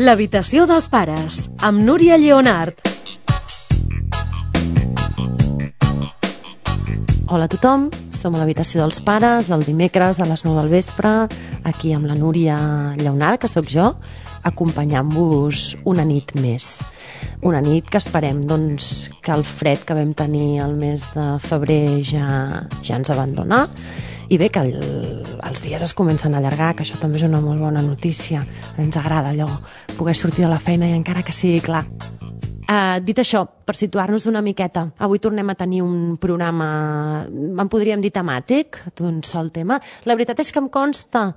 L'habitació dels pares, amb Núria Lleonart. Hola a tothom, som a l'habitació dels pares el dimecres a les 9 del vespre, aquí amb la Núria Lleonart, que sóc jo, acompanyant-vos una nit més. Una nit que esperem doncs, que el fred que vam tenir el mes de febrer ja ens abandona. I bé, que els dies es comencen a allargar, que això també és una molt bona notícia. Ens agrada allò, poder sortir de la feina i encara que sigui clar. Dit això, per situar-nos una miqueta, avui tornem a tenir un programa, en podríem dir temàtic, d'un sol tema. La veritat és que em consta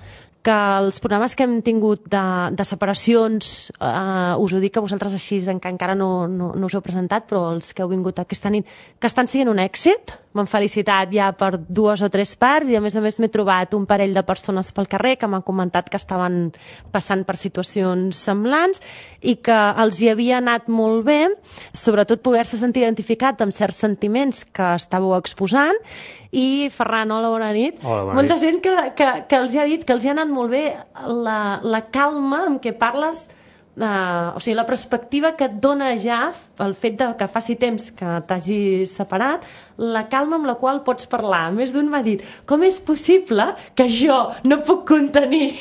que els programes que hem tingut de separacions, us ho dic a vosaltres així, que encara no us heu presentat, però els que heu vingut aquesta nit, que estan sent un èxit. M'han felicitat ja per 2 o 3 parts i a més m'he trobat un parell de persones pel carrer que m'han comentat que estaven passant per situacions semblants i que els hi havia anat molt bé, sobretot poder-se sentir identificat amb certs sentiments que estàveu exposant. I Ferran, hola, bona nit. Hola, bona nit. Molta gent que els hi ha dit que els hi ha anat molt bé la calma amb què parles, o sigui, la perspectiva que et dona ja el fet que faci temps que t'hagis separat, la calma amb la qual pots parlar. Més d'un m'ha dit, com és possible que jo no puc contenir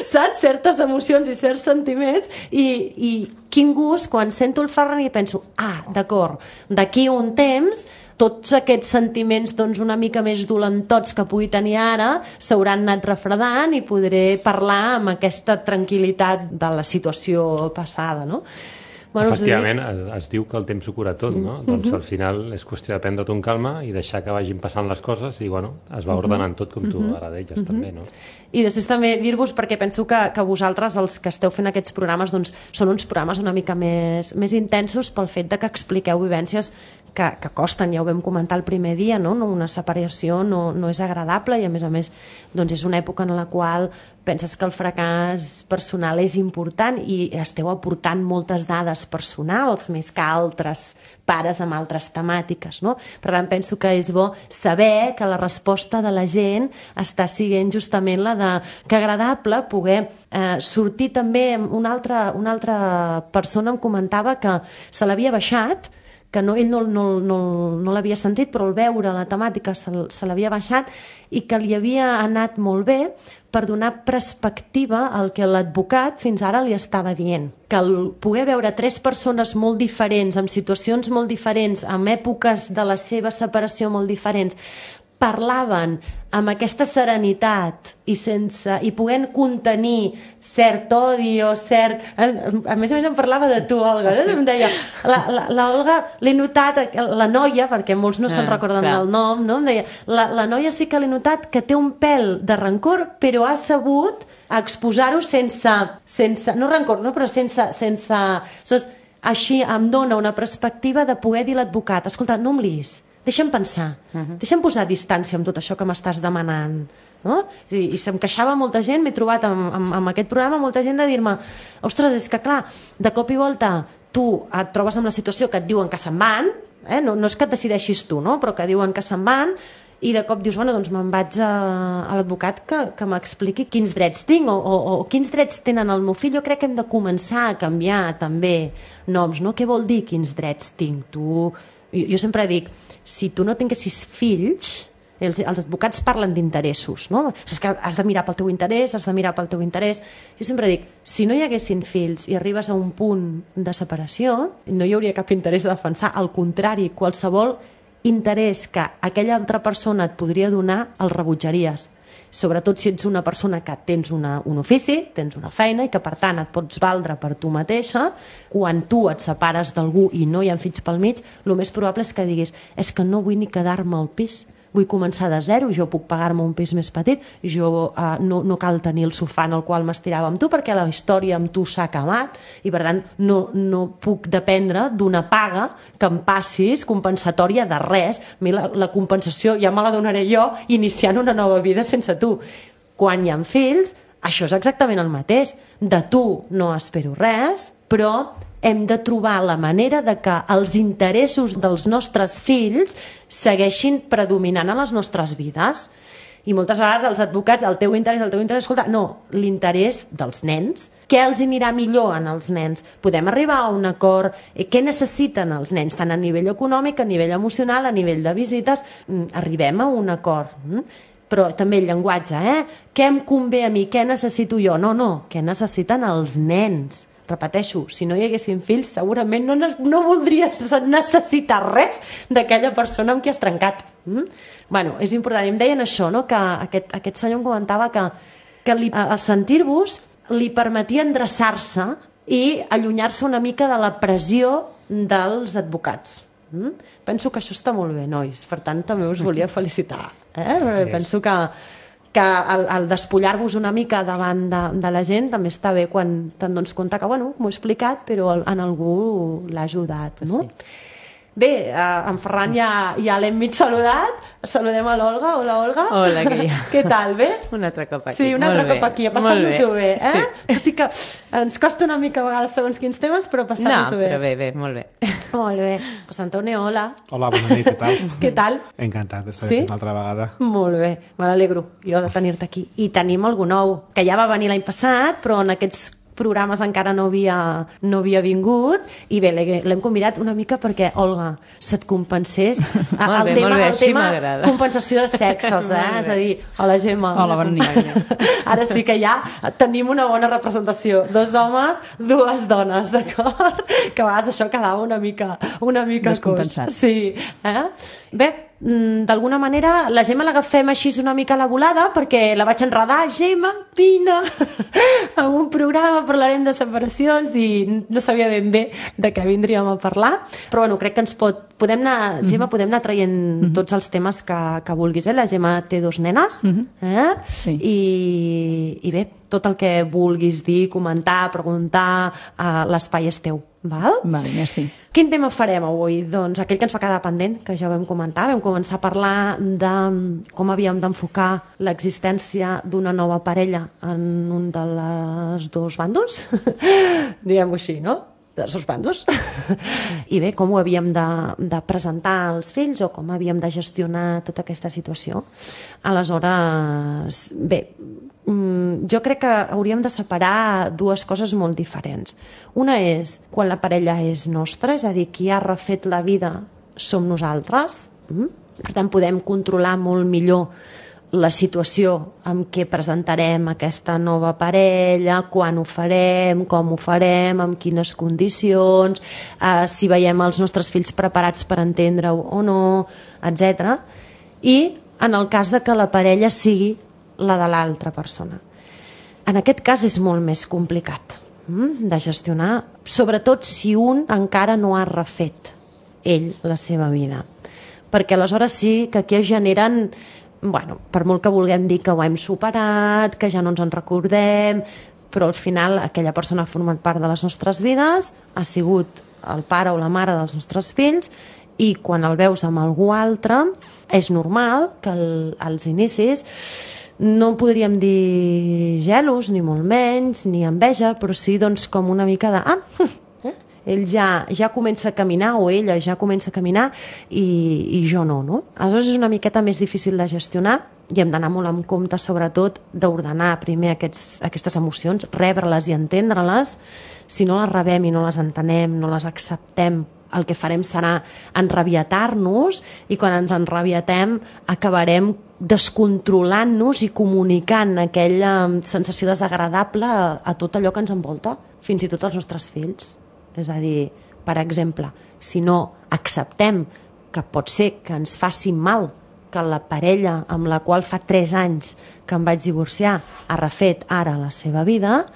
saps? Certes emocions i certs sentiments i quin gust quan sento el Ferran i penso, d'acord, d'aquí un temps tots aquests sentiments doncs, una mica més dolentots que pugui tenir ara s'hauran anat refredant i podré parlar amb aquesta tranquil·litat de la situació passada, no? Bueno, efectivament, es diu que el temps ho cura tot, no? Doncs al final és qüestió de prendre-t'ho amb calma i deixar que vagin passant les coses i bueno, es va ordenant tot com tu ara deies també, no? I després també dir-vos, perquè penso que vosaltres, els que esteu fent aquests programes, doncs són uns programes una mica més intensos pel fet de que expliqueu vivències que costen, ja ho vam comentar el primer dia, no? Una separació no és agradable i a més doncs és una època en la qual penses que el fracàs personal és important i esteu aportant moltes dades personals més que altres pares amb altres temàtiques, no? Per tant, penso que és bo saber que la resposta de la gent està sent justament la de que agradable poder sortir també. Una altra persona em comentava que se l'havia baixat, que ell no l'havia sentit, però al veure la temàtica se l'havia baixat i que li havia anat molt bé per donar perspectiva al que l'advocat fins ara li estava dient. Que el poder veure 3 persones molt diferents, amb situacions molt diferents, amb èpoques de la seva separació molt diferents, parlaven amb aquesta serenitat i podent contenir cert odi o cert... A més em parlava de tu, Olga. Sí. Em deia, l'Olga, l'he notat, la noia, perquè molts no se'n recorden del nom, no? Em deia, la noia sí que l'he notat que té un pèl de rancor, però ha sabut exposar-ho sense... No rancor, no, però sense... Així em dona una perspectiva de poder dir l'advocat, escolta, no em liis, deixa'm pensar, deixa'm posar distància amb tot això que m'estàs demanant, no? I se'm queixava molta gent, m'he trobat amb aquest programa molta gent de dir-me, ostres, és que clar, de cop i volta tu et trobes amb la situació que et diuen que se'n van, no és que et decideixis tu, no? Però que diuen que se'n van i de cop dius, bueno, doncs me'n vaig a l'advocat que m'expliqui quins drets tinc o quins drets tenen el meu fill. Jo crec que hem de començar a canviar també noms, no? Què vol dir quins drets tinc? Jo sempre dic, si tu no tinguessis fills, els advocats parlen d'interessos, no? És que has de mirar pel teu interès, Jo sempre dic, si no hi haguessin fills i arribes a un punt de separació, no hi hauria cap interès a defensar, al contrari, qualsevol interès que aquella altra persona et podria donar, el rebutjaries. Sobretot si ets una persona que tens un ofici, tens una feina i que per tant et pots valdre per tu mateixa, quan tu et separes d'algú i no hi ha fills pel mig, el més probable és que diguis, és que no vull ni quedar-me al pis, vull començar de zero, jo puc pagar-me un pis més petit, jo no cal tenir el sofà en el qual m'estirava amb tu perquè la història amb tu s'ha acabat i per tant no puc dependre d'una paga que em passis compensatòria de res. A mi la compensació ja me la donaré jo iniciant una nova vida sense tu. Quan hi ha fills, això és exactament el mateix. De tu no espero res, però hem de trobar la manera de que els interessos dels nostres fills segueixin predominant a les nostres vides. I moltes vegades els advocats, el teu interès, escolta, no, l'interès dels nens, què els anirà millor en els nens? Podem arribar a un acord, què necessiten els nens, tant a nivell econòmic, a nivell emocional, a nivell de visites, arribem a un acord. Però també el llenguatge, què em convé a mi, què necessito jo? No, què necessiten els nens? Repeteixo, si no hi haguessin fills, segurament no voldries necessitar res d'aquella persona amb qui has trencat. Bueno, és important. I em deien això, no? Que aquest senyor em comentava que al sentir-vos li permetia endreçar-se i allunyar-se una mica de la pressió dels advocats. Penso que això està molt bé, nois. Per tant, també us volia felicitar. Sí, penso que el despullar-vos una mica davant de la gent també està bé quan te'n dones compte que, bueno, m'ho he explicat, però en algú l'ha ajudat, no? Sí. Bé, en Ferran ja l'hem mig saludat. Saludem a l'Olga. Hola, Olga. Hola, Guia. Què tal, bé? Un altre cop aquí. Sí, un altre cop aquí, a passar-nos-ho bé. Sí. Tot i que ens costa una mica a vegades segons quins temes, però passar-nos-ho bé. No, però bé, molt bé. Molt bé. José Antonio, hola. Hola, bona nit, què tal? Què tal? Encantat d'estar aquí una altra vegada. Molt bé, me n'alegro jo de tenir-te aquí. I tenim algú nou, que ja va venir l'any passat, però en aquests programes encara no havia vingut, i bé, l'hem convidat una mica perquè, Olga, se't compensés el tema compensació de sexes, és a dir, hola Gemma, hola, bona nit. Ara sí que ja tenim una bona representació, 2 homes, 2 dones, d'acord? Que a vegades això quedava una mica descompensat. Sí, bé, d'alguna manera la Gemma l'agafem així una mica a la volada perquè la vaig enredar, Gemma, vine a un programa, parlarem de separacions, i no sabia ben bé de què vindríem a parlar, però bueno, crec que podem anar, Gemma, podem anar traient tots els temes que vulguis, la Gemma té 2 nenes, sí. I bé, tot el que vulguis dir, comentar, preguntar, l'espai és teu. Val? Vale, merci. Quin tema farem avui? Doncs aquell que ens va quedar pendent, que ja vam comentar, vam començar a parlar de com havíem d'enfocar l'existència d'una nova parella en un dels 2 bàndols, diguem-ho així, no? Dels 2 bàndols. I bé, com ho havíem de presentar als fills o com havíem de gestionar tota aquesta situació. Aleshores, bé, jo crec que hauríem de separar 2 coses molt diferents. Una és quan la parella és nostra, és a dir, qui ha refet la vida som nosaltres. Per tant, podem controlar molt millor la situació en què presentarem aquesta nova parella, quan ho farem, com ho farem, amb quines condicions, si veiem els nostres fills preparats per entendre-ho o no, etc. I en el cas de que la parella sigui la de l'altra persona. En aquest cas és molt més complicat de gestionar, sobretot si un encara no ha refet ell la seva vida. Perquè aleshores sí que aquí es generen, bueno, per molt que vulguem dir que ho hem superat, que ja no ens en recordem, però al final aquella persona ha format part de les nostres vides, ha sigut el pare o la mare dels nostres fills, i quan el veus amb algú altre és normal que als inicis no podríem dir gelos, ni molt menys, ni enveja, però sí doncs, com una mica de ell ja comença a caminar, o ella ja comença a caminar, i jo no? Aleshores és una miqueta més difícil de gestionar, i hem d'anar molt en compte, sobretot, d'ordenar primer aquestes emocions, rebre-les i entendre-les. Si no les rebem i no les entenem, no les acceptem, el que farem serà enrabietar-nos, i quan ens enrabietem acabarem descontrolant-nos i comunicant aquella sensació desagradable a tot allò que ens envolta, fins i tot als nostres fills. És a dir, per exemple, si no acceptem que pot ser que ens faci mal que la parella amb la qual fa 3 anys que em vaig divorciar ha refet ara la seva vida,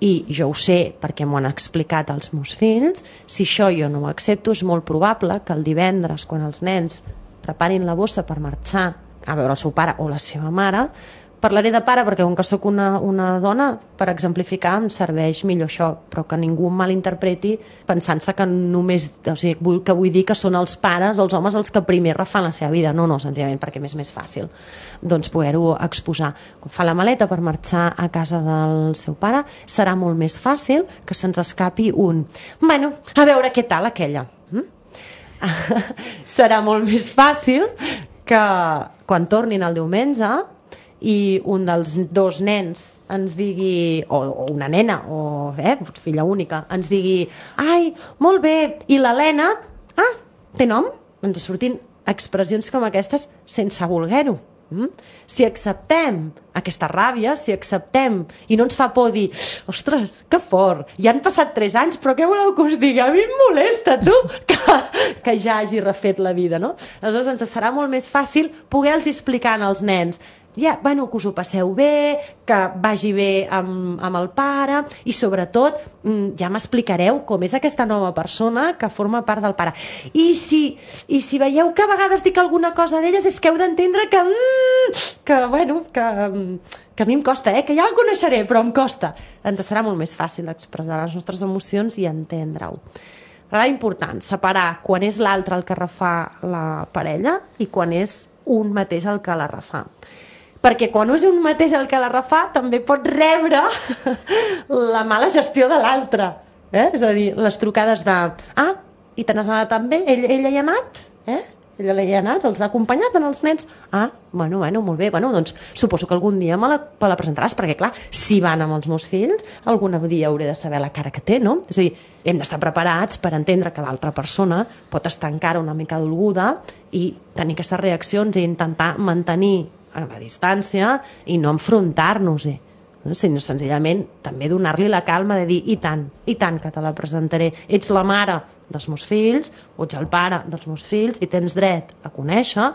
i jo ho sé perquè m'ho han explicat els meus fills, si això jo no ho accepto, és molt probable que el divendres, quan els nens preparin la bossa per marxar a veure el seu pare o la seva mare, parlaré de pare perquè com que sóc una dona, per exemplificar em serveix millor això, però que ningú em malinterpreti pensant-se que només, o sigui, que vull dir que són els pares, els homes, els que primer refan la seva vida. No, senzillament perquè m'és més fàcil doncs poder-ho exposar. Quan fa la maleta per marxar a casa del seu pare, serà molt més fàcil que se'ns escapi bueno, a veure què tal aquella. Serà molt més fàcil que quan tornin el diumenge i un dels dos nens ens digui, o una nena, o filla única, ens digui ai, molt bé, i l'Helena, té nom? Ens sortin expressions com aquestes sense voler-ho. Si acceptem aquesta ràbia, si acceptem i no ens fa por dir, ostres, que fort, ja han passat 3 anys, però què voleu que us digui? A mi em molesta, tu, que ja hagi refet la vida, no? Aleshores ens serà molt més fàcil poder-los explicar als nens bueno, que us ho passeu bé, que vagi bé amb el pare i sobretot ja m'explicareu com és aquesta nova persona que forma part del pare. I si veieu que a vegades dic alguna cosa d'elles és que heu d'entendre que a mi em costa, que ja el coneixeré, però em costa. Ens serà molt més fàcil expressar les nostres emocions i entendre-ho. Però és important separar quan és l'altre el que refà la parella i quan és un mateix el que la refà. Perquè quan és un mateix el que la refà també pot rebre la mala gestió de l'altre. És a dir, les trucades de i te n'has anat també? Ella hi ha anat? Ella hi ha anat? Els ha acompanyat en els nens? Bueno, molt bé. Bueno, doncs suposo que algun dia me la presentaràs, perquè clar, si van amb els meus fills, algun dia hauré de saber la cara que té, no? És a dir, hem d'estar preparats per entendre que l'altra persona pot estar encara una mica dolguda i tenir aquestes reaccions i intentar mantenir a la distància i no enfrontar-nos-hi, sinó senzillament també donar-li la calma de dir i tant que te la presentaré, ets la mare dels meus fills o ets el pare dels meus fills i tens dret a conèixer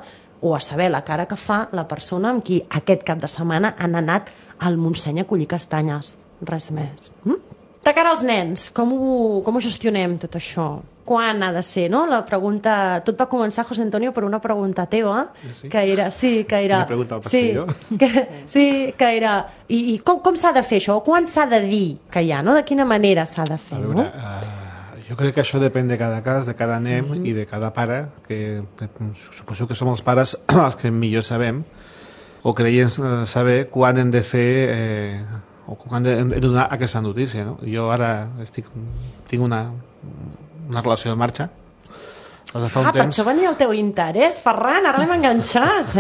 o a saber la cara que fa la persona amb qui aquest cap de setmana han anat al Montseny a collir castanyes, res més. De cara als nens, com ho gestionem tot això? Quan ha de ser, no? La pregunta... Tot va començar, José Antonio, per una pregunta teva, que era... Quina pregunta al pastillo? Que era... I com s'ha de fer això? O quan s'ha de dir que hi ha, no? De quina manera s'ha de fer, no? Jo crec que això depèn de cada cas, de cada nen i de cada pare, que suposo que som els pares els que millor sabem, o creiem saber quan hem de fer... o quan hem de donar aquesta notícia, no? Jo ara tinc una relació en marxa. Per això venia el teu interès, Ferran, ara l'hem enganxat,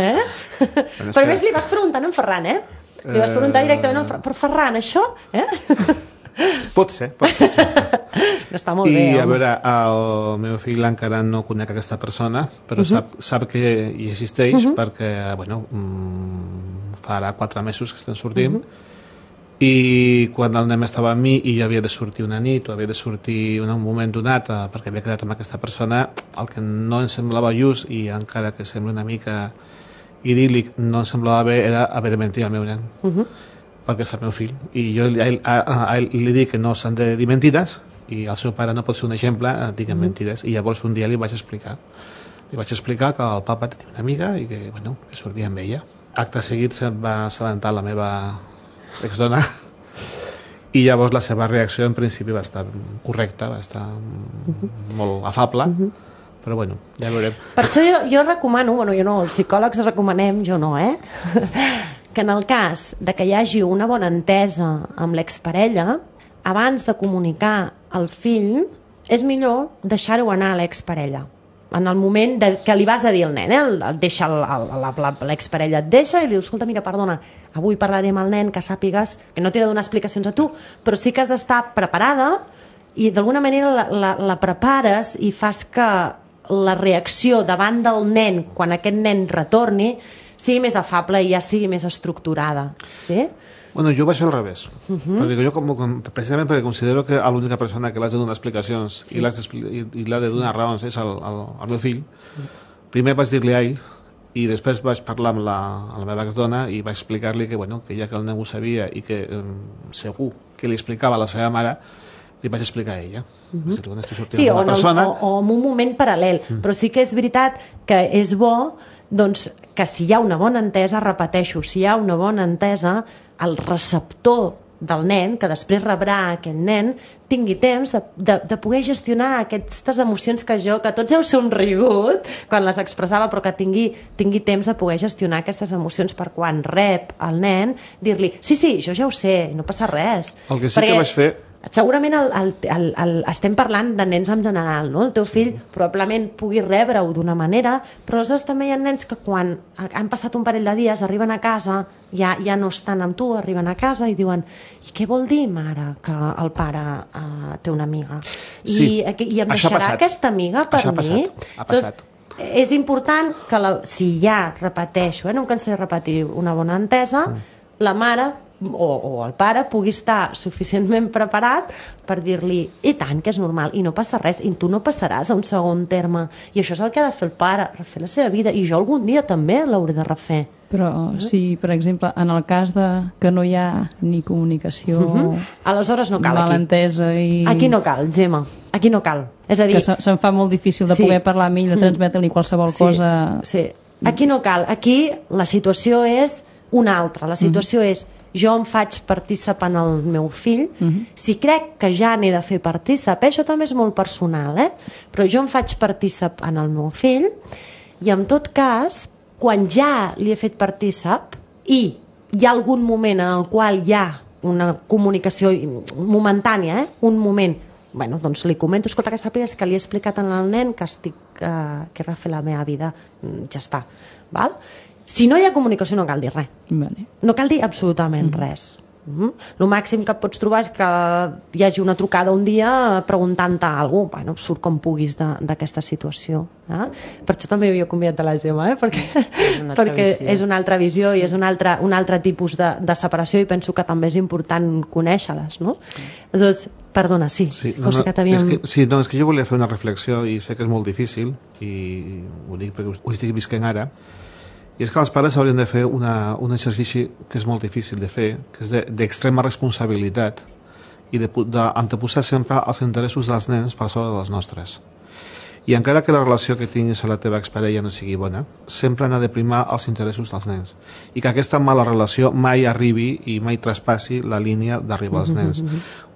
Però a més li vas preguntant en Ferran, Li vas preguntar directament al Ferran, però Ferran, això, Pot ser, sí. Està molt bé, I a veure, el meu fill encara no conec aquesta persona, però sap que hi existeix perquè, farà 4 mesos que estem sortint, i quan el nen estava amb mi i jo havia de sortir una nit o havia de sortir en un moment donat perquè havia quedat amb aquesta persona, el que no em semblava just i encara que sembla una mica idíl·lic no em semblava bé era haver de mentir al meu nen perquè és el meu fill i jo a ell li dic que no s'han de dir mentides i el seu pare no pot ser un exemple diguem mentides i llavors un dia li vaig explicar que el papa tenia una amiga i que sortia amb ella. Acte seguit se'n va assabentar la meva exdona i llavors la seva reacció en principi va estar correcta, va estar molt afable, però ja veurem. Per això jo recomano, jo no, els psicòlegs recomanem, jo no, que en el cas de que hi hagi una bona entesa amb l'exparella, abans de comunicar al fill, és millor deixar-ho anar a l'exparella. En el moment que li vas a dir al nen, et deixa l'exparella et deixa i li dius, escolta, mira, perdona, avui parlaré amb el nen, que sàpigues que no t'he de donar explicacions a tu, però sí que has d'estar preparada i d'alguna manera la prepares i fas que la reacció davant del nen, quan aquest nen retorni, sigui més afable i ja sigui més estructurada. Sí? Jo vaig fer al revés, perquè jo precisament perquè considero que l'única persona que l'has de donar explicacions i l'ha de donar raons és el meu fill. Primer vaig dir-li a ell i després vaig parlar amb la meva exdona i vaig explicar-li que ja que el nen ho sabia i que segur que li explicava a la seva mare, li vaig explicar a ella. Sí, o en un moment paral·lel, però sí que és veritat que és bo que si hi ha una bona entesa, repeteixo, si hi ha una bona entesa, el receptor del nen, que després rebrà aquest nen, tingui temps de poder gestionar aquestes emocions que tots heu somrigut quan les expressava, però que tingui temps de poder gestionar aquestes emocions per quan rep el nen, dir-li, sí, jo ja ho sé, no passa res. El que sí que vaig fer segurament estem parlant de nens en general, no? El teu fill probablement pugui rebre-ho d'una manera, però aleshores també hi ha nens que quan han passat un parell de dies arriben a casa, ja no estan amb tu, arriben a casa i diuen: i què vol dir, mare, que el pare té una amiga? Sí, I em això ha deixarà passat. aquesta amiga per Això ha mi? passat, ha passat. És important que, si ja repeteixo, no em cansaré de repetir, una bona entesa, la mare o el pare pugui estar suficientment preparat per dir-li: i tant, que és normal, i no passa res, i tu no passaràs a un segon terme, i això és el que ha de fer el pare, refer la seva vida, i jo algun dia també l'hauré de refer. Però si, per exemple, en el cas que no hi ha ni comunicació, aleshores no cal malentesa i... Aquí no cal, Gemma, aquí no cal. És a dir, que se'm fa molt difícil de poder parlar amb ell, de transmetre-li qualsevol cosa... Sí, aquí no cal. Aquí la situació és una altra. La situació és: jo em faig partícip en el meu fill, si crec que ja n'he de fer partícip, això també és molt personal, però jo em faig partícip en el meu fill, i en tot cas, quan ja li he fet partícip i hi ha algun moment en el qual hi ha una comunicació momentània, un moment, bueno, doncs li comento: escolta, que sàpigues que li he explicat al nen que que he refet la meva vida, ja està, val? Si no hi ha comunicació no cal dir res. Vale. No cal dir absolutament res. El màxim que et pots trobar és que hi hagi una trucada un dia preguntant-te alguna cosa. Bueno, surt com puguis d'aquesta situació. Per això també havia convidat a la Gemma, perquè és una altra visió i és un altre tipus de separació, i penso que també és important conèixer-les, no? Aleshores, perdona, sí. És que jo volia fer una reflexió, i sé que és molt difícil, i ho dic perquè ho estic visquent ara, i és que els pares haurien de fer un exercici que és molt difícil de fer, que és d'extrema responsabilitat, i d'anteposar sempre els interessos dels nens per sobre dels nostres. I encara que la relació que tinguis a la teva exparella no sigui bona, sempre n'ha de primar els interessos dels nens, i que aquesta mala relació mai arribi i mai traspassi la línia d'arribar als nens.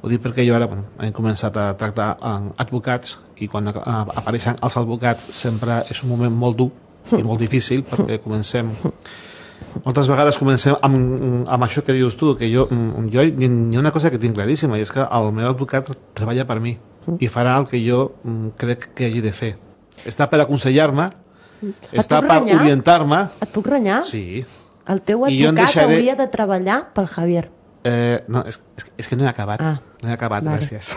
Ho dic perquè jo ara hem començat a tractar advocats, i quan apareixen els advocats sempre és un moment molt dur i molt difícil, perquè moltes vegades comencem amb això que dius tu, que jo hi ha una cosa que tinc claríssima, i és que el meu advocat treballa per mi i farà el que jo crec que hagi de fer. Està per aconsellar-me, està per orientar-me. Et puc renyar? Sí. El teu advocat hauria de treballar pel Javier. No, és que no he acabat. No he acabat, gràcies.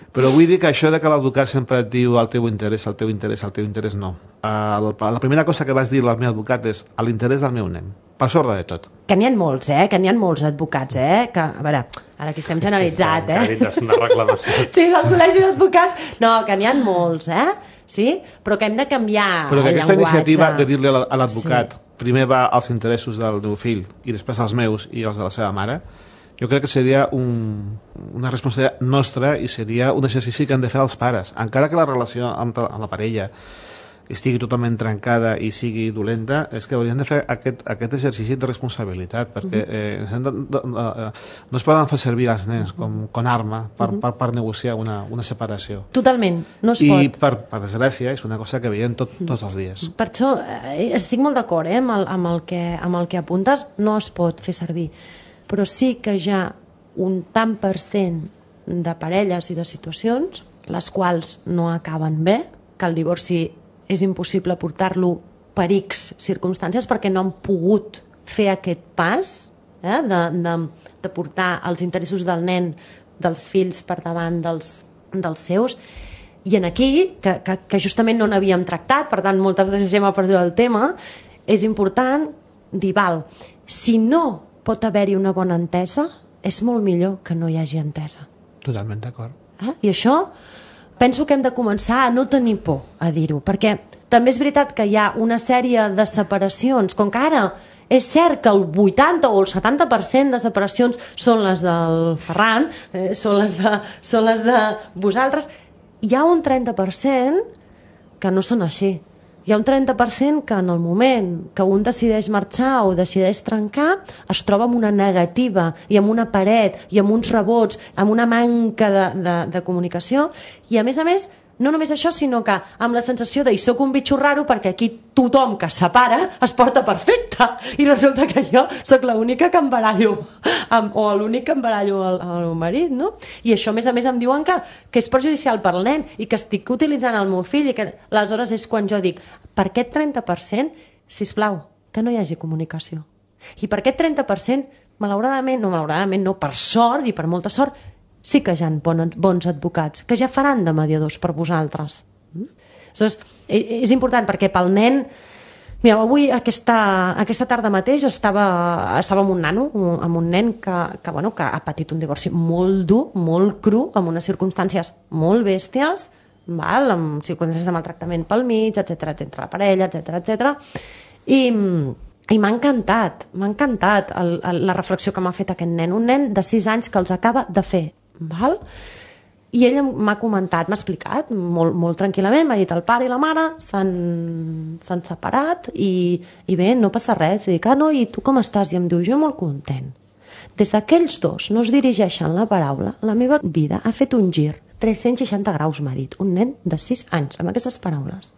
Però vull dir que això de que l'advocat sempre et diu el teu interès, no. La primera cosa que vas dir al meu advocat és l'interès del meu nen, per sobre de tot. Que n'hi ha molts, que n'hi ha molts advocats, que, a veure, ara aquí estem generalitzat, Sí, una reclamació. Sí, del col·legi d'advocats. No, que n'hi ha molts, sí? Però que hem de canviar el llenguatge. Però que aquesta iniciativa de dir-li a l'advocat primer va als interessos del meu fill i després als meus i els de la seva mare, jo crec que seria una responsabilitat nostra, i seria un exercici que han de fer els pares. Encara que la relació amb la parella estigui totalment trencada i sigui dolenta, és que haurien de fer aquest exercici de responsabilitat, perquè no es poden fer servir els nens com arma per negociar una separació. Totalment, no es pot. I per desgràcia és una cosa que veiem tots els dies. Per això estic molt d'acord amb el que apuntes, no es pot fer servir. Però sí que hi ha un tant per cent de parelles i de situacions les quals no acaben bé, que el divorci és impossible portar-lo per X circumstàncies perquè no han pogut fer aquest pas de portar els interessos del nen, dels fills, per davant dels seus. I en aquí, que justament no n'havíem tractat, per tant, moltes gràcies, Gemma, per dir el tema, és important dir, si no pot haver-hi una bona entesa, és molt millor que no hi hagi entesa. Totalment d'acord. I això penso que hem de començar a no tenir por a dir-ho, perquè també és veritat que hi ha una sèrie de separacions, com que ara és cert que el 80 o el 70% de separacions són les del Ferran, són les de vosaltres, hi ha un 30% que no són així. Hi ha un 30% que en el moment que un decideix marxar o decideix trencar es troba amb una negativa i amb una paret i amb uns rebots, amb una manca de comunicació, i a més no només això, sinó que amb la sensació de soc un bitxo raro perquè aquí tothom que es separa es porta perfecte i resulta que jo sóc l'única que em barallo o l'únic que em barallo al meu marit, no? I això a més em diuen que és perjudicial per al nen i que estic utilitzant el meu fill i que aleshores és quan jo dic per aquest 30%, sisplau, que no hi hagi comunicació. I per aquest 30%, malauradament, no, per sort i per molta sort, sí que hi ha bons advocats, que ja faran de mediadors per vosaltres. Aleshores, és important perquè pel nen... Mira, avui, aquesta tarda mateix, estava amb un nano, amb un nen que ha patit un divorci molt dur, molt cru, amb unes circumstàncies molt bèsties, amb circumstàncies de maltractament pel mig, etc, la parella, etc. I m'ha encantat la reflexió que m'ha fet aquest nen, un nen de 6 anys que els acaba de fer, val? I ell m'ha comentat, m'ha explicat molt tranquil·lament, m'ha dit el pare i la mare s'han separat i bé, no passa res. I dic, no, i tu com estàs? I em diu, jo molt content. Des d'aquells dos no es dirigeixen la paraula, la meva vida ha fet un gir 360 graus, m'ha dit, un nen de 6 anys, amb aquestes paraules.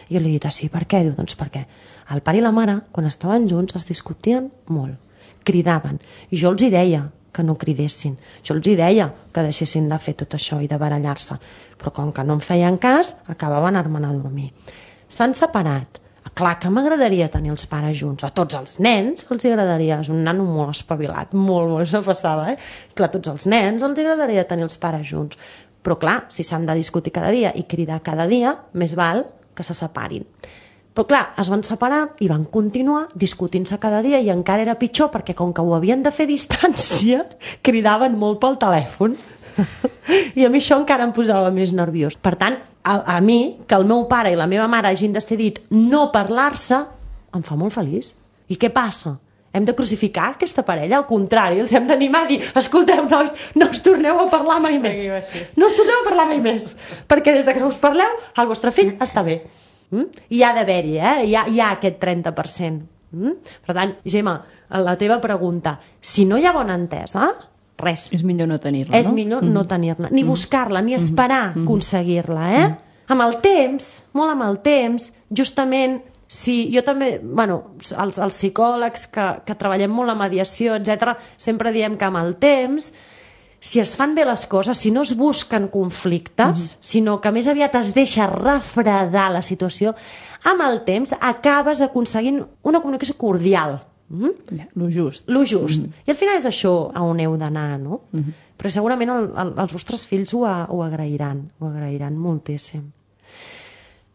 I jo li he dit, sí, per què? Diu, doncs perquè el pare i la mare, quan estaven junts, es discutien molt, cridaven, i jo els hi deia que no cridessin, jo els hi deia que deixessin de fer tot això i de barallar-se, però com que no em feien cas, acabaven anant a dormir. S'han separat. Clar que m'agradaria tenir els pares junts, a tots els nens els agradaria, és un nano molt espavilat, molt, això passava, Clar, a tots els nens els agradaria tenir els pares junts, però clar, si s'han de discutir cada dia i cridar cada dia, més val que se separin. Però clar, es van separar i van continuar discutint-se cada dia i encara era pitjor perquè com que ho havien de fer a distància, cridaven molt pel telèfon. I a mi això encara em posava més nerviós. Per tant, a mi, que el meu pare i la meva mare hagin decidit no parlar-se, em fa molt feliç. I què passa? Hem de crucificar aquesta parella? Al contrari, els hem d'animar a dir, escolteu, nois, no us torneu a parlar mai més. No us torneu a parlar mai més. Perquè des que us parleu, el vostre fill està bé. I ha d'haver-hi, hi ha aquest 30%. Per tant, Gemma, la teva pregunta, si no hi ha bona entesa, res. És millor no tenir-la, no? És millor no tenir-la, ni buscar-la, ni esperar aconseguir-la, Amb el temps, molt amb el temps, justament, si jo també, els psicòlegs que treballem molt la mediació, etc, sempre diem que amb el temps, si es fan bé les coses, si no es busquen conflictes, sinó que més aviat es deixa refredar la situació, amb el temps acabes aconseguint una comunicació cordial. Lo just. Lo just. I al final és això on heu d'anar, no? Però segurament els vostres fills ho agrairan moltíssim.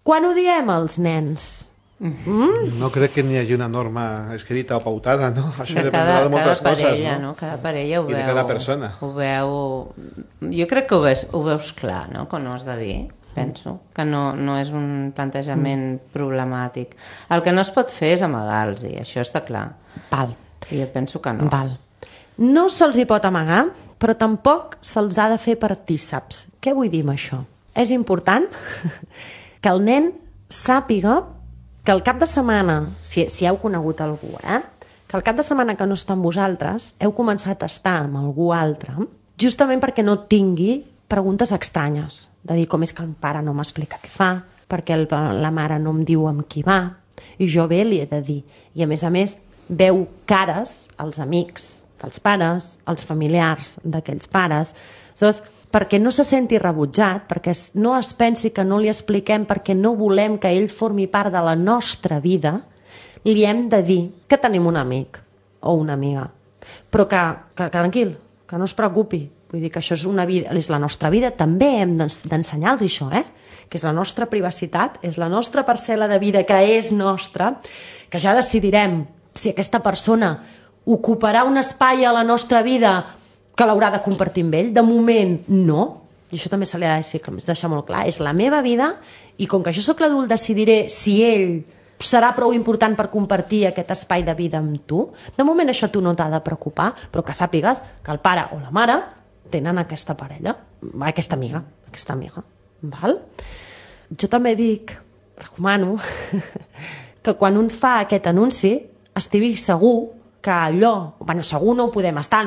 Quan ho diem als nens? No crec que n'hi hagi una norma escrita o pautada, no? Això dependrà de moltes coses, no? Cada parella ho veu... I de cada persona. Ho veu... Jo crec que ho veus clar, no?, quan ho has de dir. Penso que no és un plantejament problemàtic. El que no es pot fer és amagar-los, això està clar. Val. I jo penso que no. Val. No se'ls hi pot amagar, però tampoc se'ls ha de fer partíceps. Què vull dir amb això? És important que el nen sàpiga que el cap de setmana, si heu conegut algú, que el cap de setmana que no està amb vosaltres, heu començat a estar amb algú altre, justament perquè no tingui preguntes estranyes, de dir com és que el pare no m'explica què fa, perquè la mare no em diu amb qui va, i jo bé li he de dir. I a més, veu cares als amics dels pares, als familiars d'aquells pares, aleshores, perquè no se senti rebutjat, perquè no es pensi que no li expliquem perquè no volem que ell formi part de la nostra vida, li hem de dir que tenim un amic o una amiga. Però que tranquil, que no es preocupi. Vull dir que això és la nostra vida, també hem d'ensenyar-los això, que és la nostra privacitat, és la nostra parcel·la de vida que és nostra, que ja decidirem si aquesta persona ocuparà un espai a la nostra vida que l'haurà de compartir amb ell. De moment, no. I això també se li ha de deixar molt clar. És la meva vida i com que jo sóc l'adult decidiré si ell serà prou important per compartir aquest espai de vida amb tu. De moment això tu no t'ha de preocupar, però que sàpigues que el pare o la mare tenen aquesta parella, aquesta amiga. Val? Jo també recomano, que quan un fa aquest anunci estigui segur que allò, segur no ho podem estar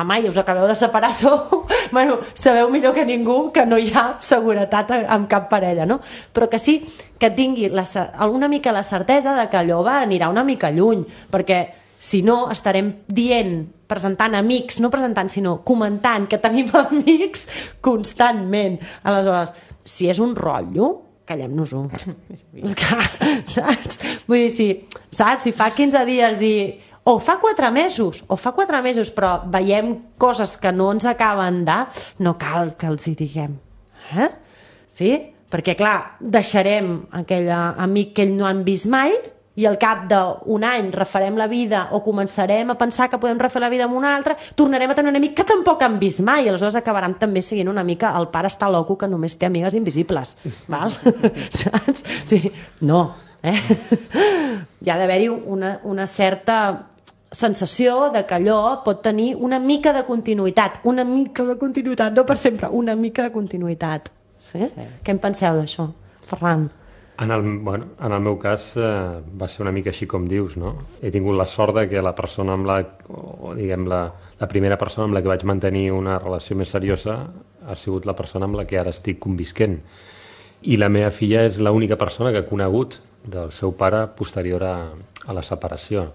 mai, us acabeu de separar, sabeu millor que ningú que no hi ha seguretat amb cap parella, no? Però que sí que tingui una mica la certesa de que allò anirà una mica lluny, perquè si no estarem presentant amics, no presentant, sinó comentant que tenim amics constantment. Aleshores, si és un rotllo, callem-nos-ho. Saps? Vull dir, si fa 15 dies o fa 4 mesos, però veiem coses que no ens acaben no cal que els hi diguem. Sí? Perquè, clar, deixarem aquell amic que ell no han vist mai i al cap d'un any refarem la vida o començarem a pensar que podem refer la vida amb un altre, tornarem a tenir un amic que tampoc han vist mai i aleshores acabaran també seguint una mica el pare està loco que només té amigues invisibles. Val? Saps? Sí. No. Hi ha d'haver-hi una certa sensació de que allò pot tenir una mica de continuïtat, no per sempre, una mica de continuïtat. Sí? Què en penseu d'això, Ferran? En el meu cas va ser una mica així com dius, no? He tingut la sort de que la persona la primera persona amb la que vaig mantenir una relació més seriosa ha sigut la persona amb la que ara estic convisquent. I la meva filla és l'única persona que he conegut del seu pare posterior a la separació.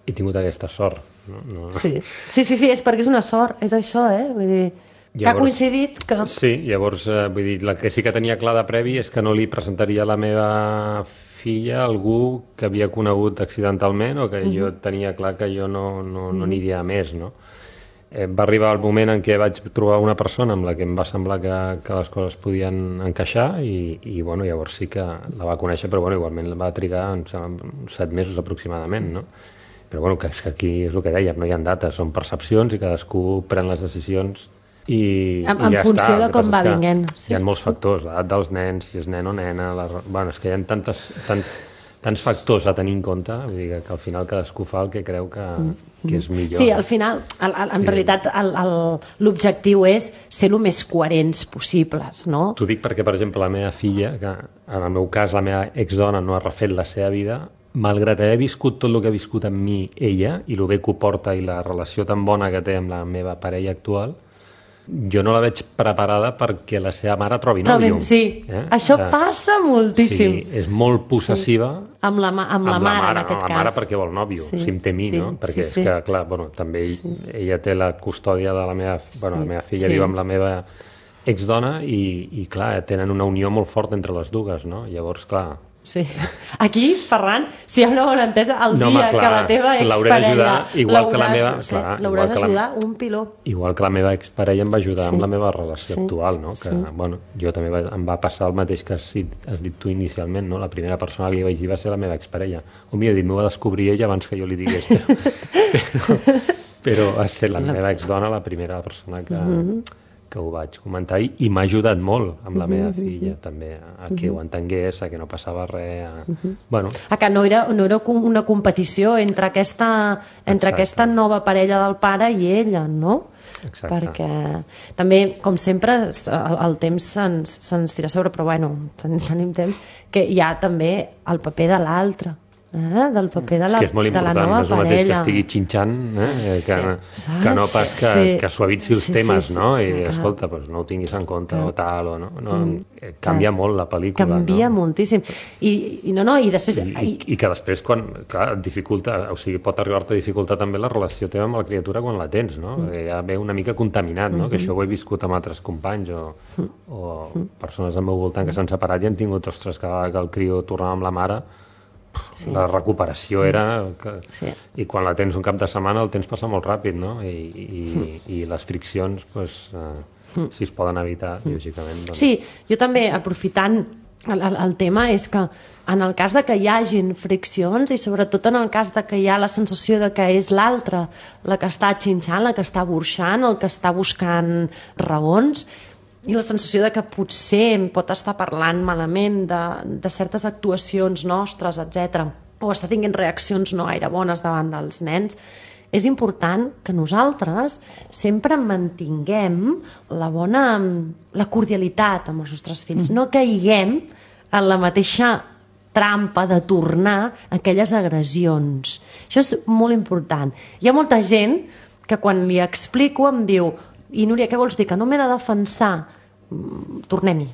He tingut aquesta sort. No? Sí, és perquè és una sort, és això, vull dir... Que ha coincidit que... Sí, llavors, vull dir, el que sí que tenia clar de previ és que no li presentaria la meva filla a algú que havia conegut accidentalment o que jo tenia clar que jo no aniria més, no? Va arribar el moment en què vaig trobar una persona amb la que em va semblar que les coses podien encaixar i llavors sí que la va conèixer, però igualment va trigar uns 7 mesos aproximadament, no? Però que és que aquí és el que dèiem, no hi ha dates, són percepcions i cadascú pren les decisions i en ja funció està. De com va vinguent. Hi ha molts factors, l'edat dels nens, si és nen o nena, és que hi ha tants factors a tenir en compte, vull dir que al final cadascú fa el que creu que és millor. Sí, al final, en realitat, l'objectiu és ser el més coherents possibles, no? T'ho dic perquè, per exemple, la meva filla, que en el meu cas la meva exdona no ha refet la seva vida, malgrat haver viscut tot el que ha viscut amb mi ella i el bé que ho porta i la relació tan bona que té amb la meva parella actual, jo no la veig preparada perquè la seva mare trobi nòvio. Sí, això passa moltíssim. Sí, és molt possessiva amb la mare, en aquest cas. Amb la mare perquè vol nòvio, si em té a mi, no? Perquè és que, clar, també ella té la custòdia de la meva filla, viu amb la meva exdona i, clar, tenen una unió molt forta entre les dues, no? Llavors, clar... Sí. Aquí, Ferran, si hi ha una bona entesa, el dia que la teva exparella l'hauràs d'ajudar un piló. Igual que la meva exparella em va ajudar amb la meva relació actual, no? Que, jo també em va passar el mateix que has dit tu inicialment, no? La primera persona que li vaig dir va ser la meva exparella. O millor dit, m'ho va descobrir ella abans que jo li digués. Però va ser la meva exdona la primera persona que ho vaig comentar i m'ha ajudat molt amb la meva filla també, a que ho entengués, a que no passava res, a que no era una competició entre aquesta nova parella del pare i ella, no? Exacte. Perquè també, com sempre, el temps se'ns tira a sobre, però tenim temps, que hi ha també el paper de l'altre, del paper de la nova parella. És que és molt important, no és el mateix que estigui xinxant que no pas que suavitzi els temes, no? I escolta, no ho tinguis en compte o tal, o no. Canvia molt la pel·lícula. Canvia moltíssim. I després... I que després, quan, clar, dificulta, o sigui, pot arribar-te a dificultar també la relació teva amb la criatura quan la tens, no? Ja ve una mica contaminat, no? Que això ho he viscut amb altres companys o persones al meu voltant que s'han separat i han tingut, ostres, que el crió tornava amb la mare. La recuperació era... I quan la tens un cap de setmana el temps passa molt ràpid, no? I les friccions, si es poden evitar, lògicament. Sí, jo també, aprofitant el tema, és que en el cas de que hi hagin friccions i sobretot en el cas de que hi ha la sensació de que és l'altre la que està xinxant, la que està burxant, el que està buscant raons, i la sensació de que potser em pot estar parlant malament de certes actuacions nostres, etc. O està tinguent reaccions no gaire bones davant dels nens, és important que nosaltres sempre mantinguem la cordialitat amb els nostres fills. No caiguem en la mateixa trampa de tornar aquelles agressions. Això és molt important. Hi ha molta gent que quan li explico em diu i Núria, què vols dir? Que no m'he de defensar? Tornem-hi.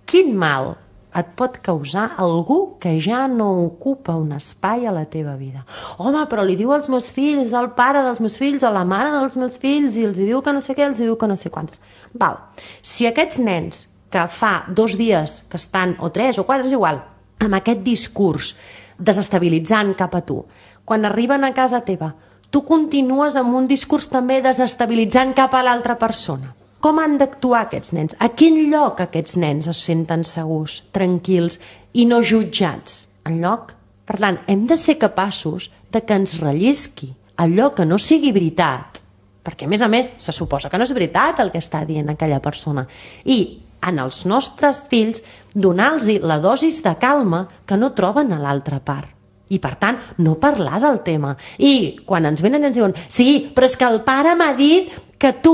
Quin mal et pot causar algú que ja no ocupa un espai a la teva vida? Home, però li diu als meus fills, al pare dels meus fills, a la mare dels meus fills, i els diu que no sé què, els diu que no sé quantos. Val. Si aquests nens que fa 2 dies que estan, o 3 o 4, és igual, amb aquest discurs desestabilitzant cap a tu, quan arriben a casa teva, tu continues amb un discurs també desestabilitzant cap a l'altra persona. Com han d'actuar aquests nens? A quin lloc aquests nens es senten segurs, tranquils i no jutjats? Enlloc. Per tant, hem de ser capaços de que ens rellisqui allò que no sigui veritat, perquè a més, se suposa que no és veritat el que està dient aquella persona. I en els nostres fills donar-los la dosis de calma que no troben a l'altra part. I, per tant, no parlar del tema. I quan ens venen i ens diuen sí, però és que el pare m'ha dit que tu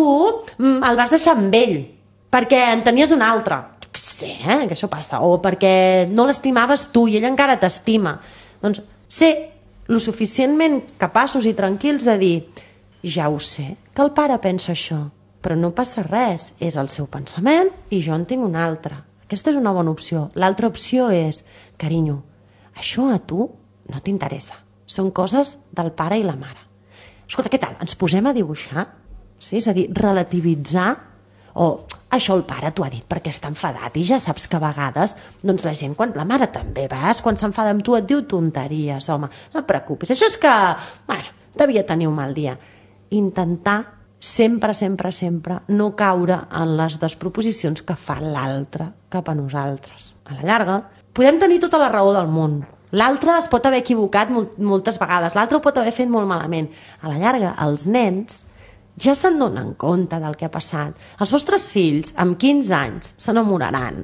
el vas deixar amb ell perquè en tenies un altre. Jo què sé, que això passa. O perquè no l'estimaves tu i ell encara t'estima. Doncs ser lo suficientment capaços i tranquils de dir ja ho sé, que el pare pensa això, però no passa res. És el seu pensament i jo en tinc un altre. Aquesta és una bona opció. L'altra opció és, carinyo, això a tu no t'interessa. Són coses del pare i la mare. Escolta, què tal? Ens posem a dibuixar? Sí? És a dir, relativitzar o això el pare t'ho ha dit perquè està enfadat i ja saps que a vegades doncs la gent, la mare també quan s'enfada amb tu et diu tonteries, home, no et preocupis, això és que devia tenir un mal dia. Intentar sempre no caure en les desproposicions que fa l'altre cap a nosaltres. A la llarga podem tenir tota la raó del món. L'altre es pot haver equivocat moltes vegades, l'altre ho pot haver fet molt malament. A la llarga, els nens ja se'n donen compte del que ha passat. Els vostres fills, amb 15 anys, s'enamoraran,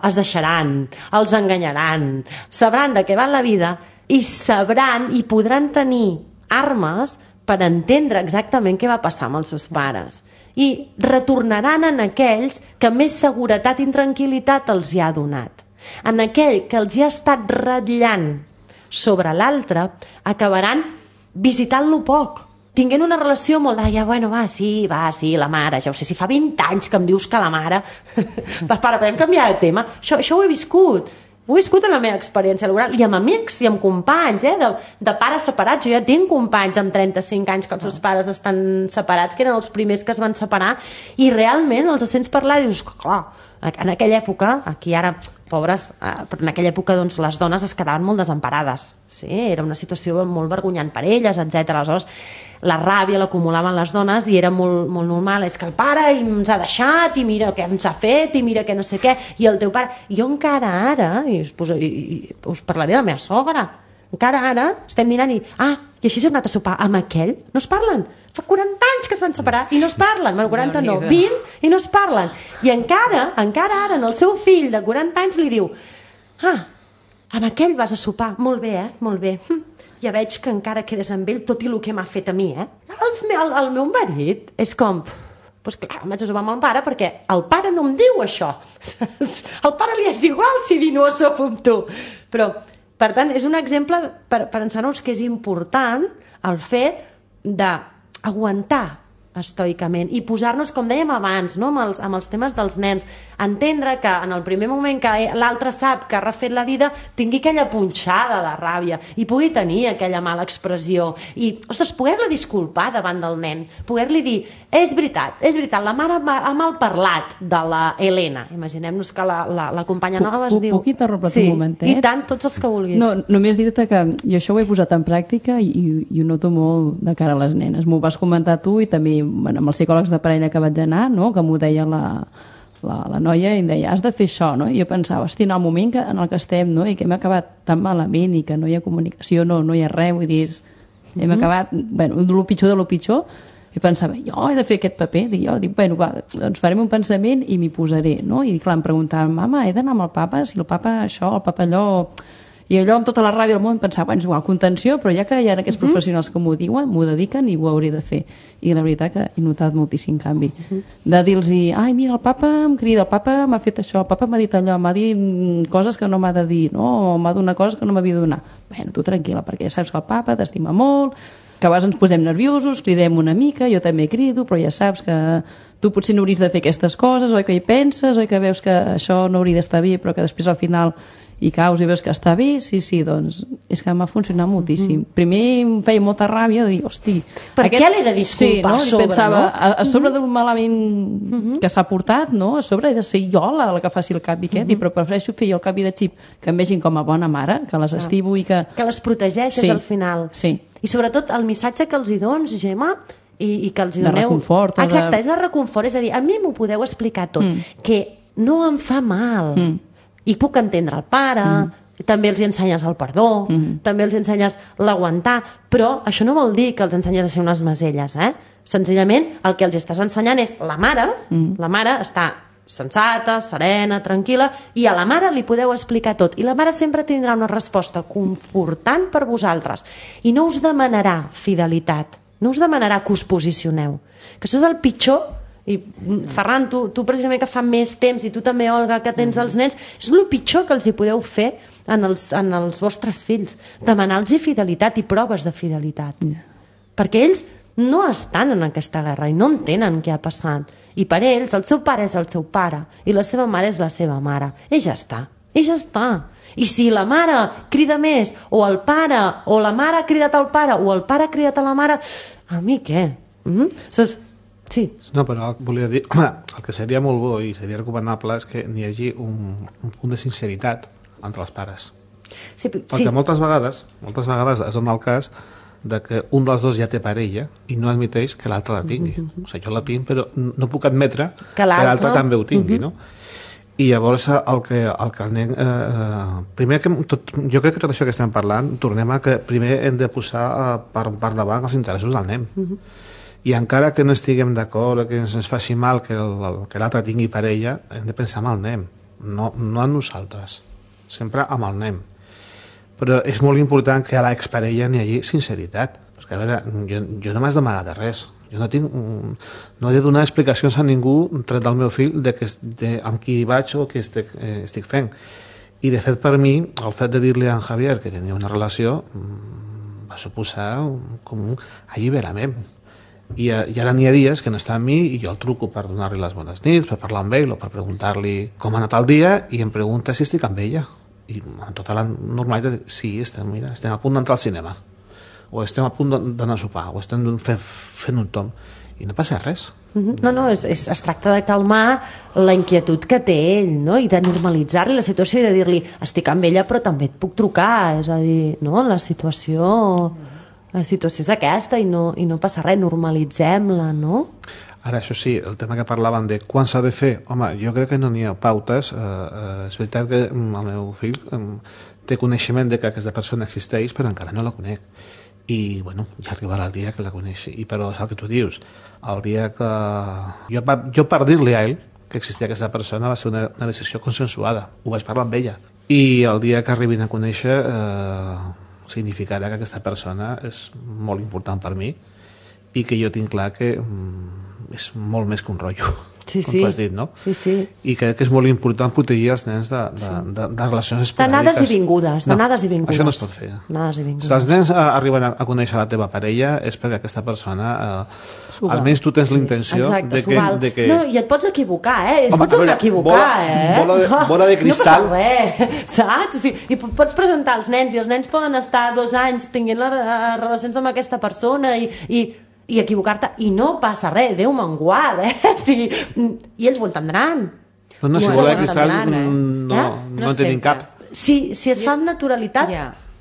es deixaran, els enganyaran, sabran de què va la vida i sabran i podran tenir armes per entendre exactament què va passar amb els seus pares. I retornaran en aquells que més seguretat i tranquil·litat els hi ha donat. En aquell que els hi ha estat ratllant sobre l'altre, acabaran visitant-lo poc, tinguent una relació molt de, sí, la mare, ja ho sé, si fa 20 anys que em dius que la mare... podem canviar de tema? Això ho he viscut en la meva experiència laboral, i amb amics i amb companys, de pares separats. Jo ja tinc companys amb 35 anys que els seus pares estan separats, que eren els primers que es van separar, i realment els sents parlar i dius, clar, en aquella època, aquí ara... pobres, però en aquella època doncs, les dones es quedaven molt desemparades. Sí? Era una situació molt vergonyant per elles, etc. Aleshores, la ràbia l'acumulaven les dones i era molt normal. És que el pare ens ha deixat i mira què ens ha fet i mira què no sé què. I el teu pare... Jo encara ara, i us parlaré de la meva sogra, encara ara estem dinant i així s'ha anat a sopar amb aquell. No es parlen. Fa 40 anys que es van separar i no es parlen. 40 no, 20 i no es parlen. I encara ara, en el seu fill de 40 anys li diu amb aquell vas a sopar. Molt bé, molt bé. Ja veig que encara quedes amb ell tot i el que m'ha fet a mi, El meu marit és com... Doncs clar, em vaig a sopar amb el pare perquè el pare no em diu això. Al pare li és igual si dir no sopo amb tu. Però, per tant, és un exemple per ensenyar-nos que és important el fet d'aguantar estoicament i posar-nos, com dèiem abans, no? amb els temes dels nens, entendre que en el primer moment que l'altre sap que ha refet la vida tingui aquella punxada de ràbia i pugui tenir aquella mala expressió i, ostres, poder-la disculpar davant del nen, poder-li dir és veritat, la mare ha mal parlat de la Helena, imaginem-nos que la companya nova es diu... Puc interrompre un momentet? I tant, tots els que vulguis. No, només dir-te que jo això ho he posat en pràctica i ho noto molt de cara a les nenes. M'ho vas comentar tu i també amb els psicòlegs de parella que vaig anar, no? Que m'ho deia la noia i em deia, has de fer això, no? I jo pensava, hosti, en el moment en el que estem, no? I que hem acabat tan malament i que no hi ha comunicació, no hi ha res, vull dir, hem acabat, el pitjor de lo pitjor, i pensava, jo he de fer aquest paper, dic, doncs farem un pensament i m'hi posaré, no? I clar, em preguntaven, mama, he d'anar amb el papa, si el papa això, el papa allò... I allò amb tota la ràbia del món pensava, bueno, és igual, contenció, però ja que hi ha aquests professionals que m'ho diuen, m'ho dediquen i ho hauré de fer. I la veritat que he notat moltíssim canvi. De dir-los, ai, mira, el papa em crida, el papa m'ha fet això, el papa m'ha dit allò, m'ha dit coses que no m'ha de dir, no? O m'ha donat coses que no m'havia de donar. Bueno, tu tranquil·la, perquè ja saps que el papa t'estima molt, que a vegades ens posem nerviosos, cridem una mica, jo també crido, però ja saps que tu potser no hauries de fer aquestes coses, oi que hi penses, oi que veus que això no hauria d'estar bé, però que després al final hi caus i veus que està bé, sí, doncs és que m'ha funcionat moltíssim. Primer em feia molta ràbia de dir, hosti... Per què l'he de disculpar a sobre, pensava, no? A sobre d'un malament que s'ha portat, no? A sobre he de ser jo la que faci el canvi aquest, però prefereixo fer jo el canvi de xip, que em vegin com a bona mare, que les estimo i que... Que les protegeixes al final. Sí. I sobretot el missatge que els hi dones, Gemma, i que els hi doneu... De reconfort. Exacte, és de reconfort, és a dir, a mi m'ho podeu explicar tot, que no em fa mal, i puc entendre el pare, també els hi ensenyes el perdó, també els ensenyes l'aguantar, però això no vol dir que els ensenyes a ser unes maselles, Senzillament, el que els estàs ensenyant és la mare està sensata, serena, tranquil·la, i a la mare li podeu explicar tot, i la mare sempre tindrà una resposta confortant per vosaltres, i no us demanarà fidelitat, no us demanarà que us posicioneu, que això és el pitjor. I Ferran, tu precisament que fa més temps, i tu també, Olga, que tens els nens, és el pitjor que els hi podeu fer en els vostres fills, demanar-los fidelitat i proves de fidelitat, perquè ells no estan en aquesta guerra i no entenen què ha passat, i per ells el seu pare és el seu pare i la seva mare és la seva mare, i ja està. I si la mare crida més, o el pare, o la mare ha cridat al pare, o el pare ha cridat a la mare, a mi què? Sí. No, però volia dir, el que seria molt bo i seria recomanable és que n'hi hagi un punt de sinceritat entre els pares. Sí, perquè moltes vegades es dona el cas de que un dels dos ja té parella i no admeteix que l'altre la tingui. O sigui, jo la tinc, però no puc admetre que l'altre també ho tingui, no? I llavors el que el nen... primer, jo crec que tot això que estem parlant, tornem a que primer hem de posar per davant els interessos del nen. I encara que no estiguem d'acord, que ens faci mal que l'altre tingui parella, hem de pensar en el nen, no en nosaltres, sempre amb el nen. Però és molt important que a l'exparella n'hi hagi sinceritat, perquè a veure, jo no m'has d'amagar de res, jo no he de donar explicacions a ningú tret del meu fill amb qui vaig o què estic fent. I de fet per mi, el fet de dir-li a en Javier que tenia una relació va suposar com un alliberament. I ara n'hi ha dies que no està amb mi i jo el truco per donar-li les bones nits, per parlar amb ell o per preguntar-li com ha anat el dia, i em pregunta si estic amb ella, i amb tota la normalitat sí, estem a punt d'entrar al cinema, o estem a punt d'anar a sopar, o estem fent un tom, i no passa res. No, es tracta de calmar la inquietud que té ell, no? I de normalitzar-li la situació i de dir-li estic amb ella però també et puc trucar, és a dir, no? La situació és aquesta i no passa res, normalitzem-la, no? Ara, això sí, el tema que parlaven de quan s'ha de fer, home, jo crec que no n'hi ha pautes. És veritat que el meu fill té coneixement de que aquesta persona existeix, però encara no la conec. I, bueno, ja arribarà el dia que la coneixi. Però és el que tu dius, el dia que... Jo per dir-li a ell que existia aquesta persona va ser una decisió consensuada, ho vaig parlar amb ella. I el dia que arribin a conèixer... significarà que aquesta persona és molt important per mi i que jo tinc clar que és molt més que un rotllo, com tu has dit, no? Sí. I crec que és molt important protegir els nens de relacions esporàdiques. D'anades i vingudes. Això no es pot fer. Si els nens arriben a conèixer la teva parella és perquè aquesta persona, almenys tu tens la intenció de que... No, i et pots equivocar, et pots tornar a equivocar, bola de cristal. No passa res, saps? I pots presentar els nens, i els nens poden estar 2 anys tinguent relacions amb aquesta persona i equivocar-te, i no passa res, Déu me'n guard, o sigui, i ells ho entendran. No, si bola de cristal no en tenim cap. Si es fa amb naturalitat...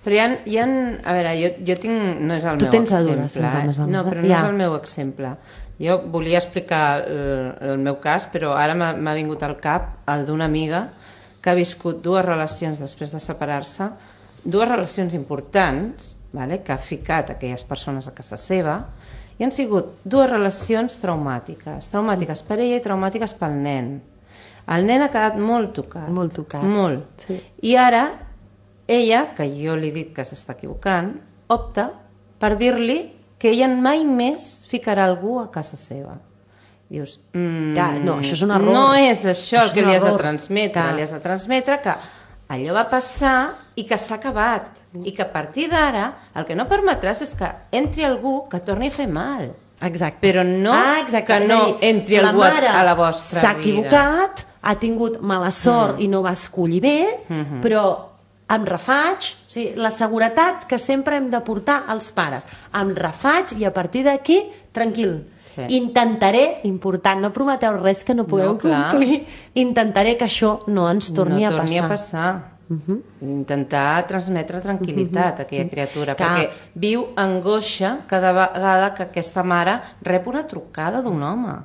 Però hi ha... A veure, jo tinc... No és el meu exemple. No, però no és el meu exemple. Jo volia explicar el meu cas, però ara m'ha vingut al cap el d'una amiga que ha viscut 2 relacions després de separar-se, 2 relacions importants, que ha ficat aquelles persones a casa seva, i han sigut 2 relacions traumàtiques per ella i traumàtiques pel nen. El nen ha quedat molt tocat. Molt tocat. Molt. Sí. I ara ella, que jo li he dit que s'està equivocant, opta per dir-li que ella mai més ficarà algú a casa seva. Dius, no, això és un error. No és això el que li has de transmetre. Li has de transmetre que allò va passar i que s'ha acabat. I que a partir d'ara el que no permetràs és que entri algú que torni a fer mal. Exacte. Però no que no entri algú a la vostra vida. S'ha equivocat, ha tingut mala sort i no va escollir bé, però em refaig, o sigui, la seguretat que sempre hem de portar als pares. Em refaig i a partir d'aquí, tranquil. Sí. Intentaré, important, no prometeu res que no pugueu complir, intentaré que això no ens torni a passar. Intentar transmetre tranquil·litat a aquella criatura, perquè viu angoixa cada vegada que aquesta mare rep una trucada d'un home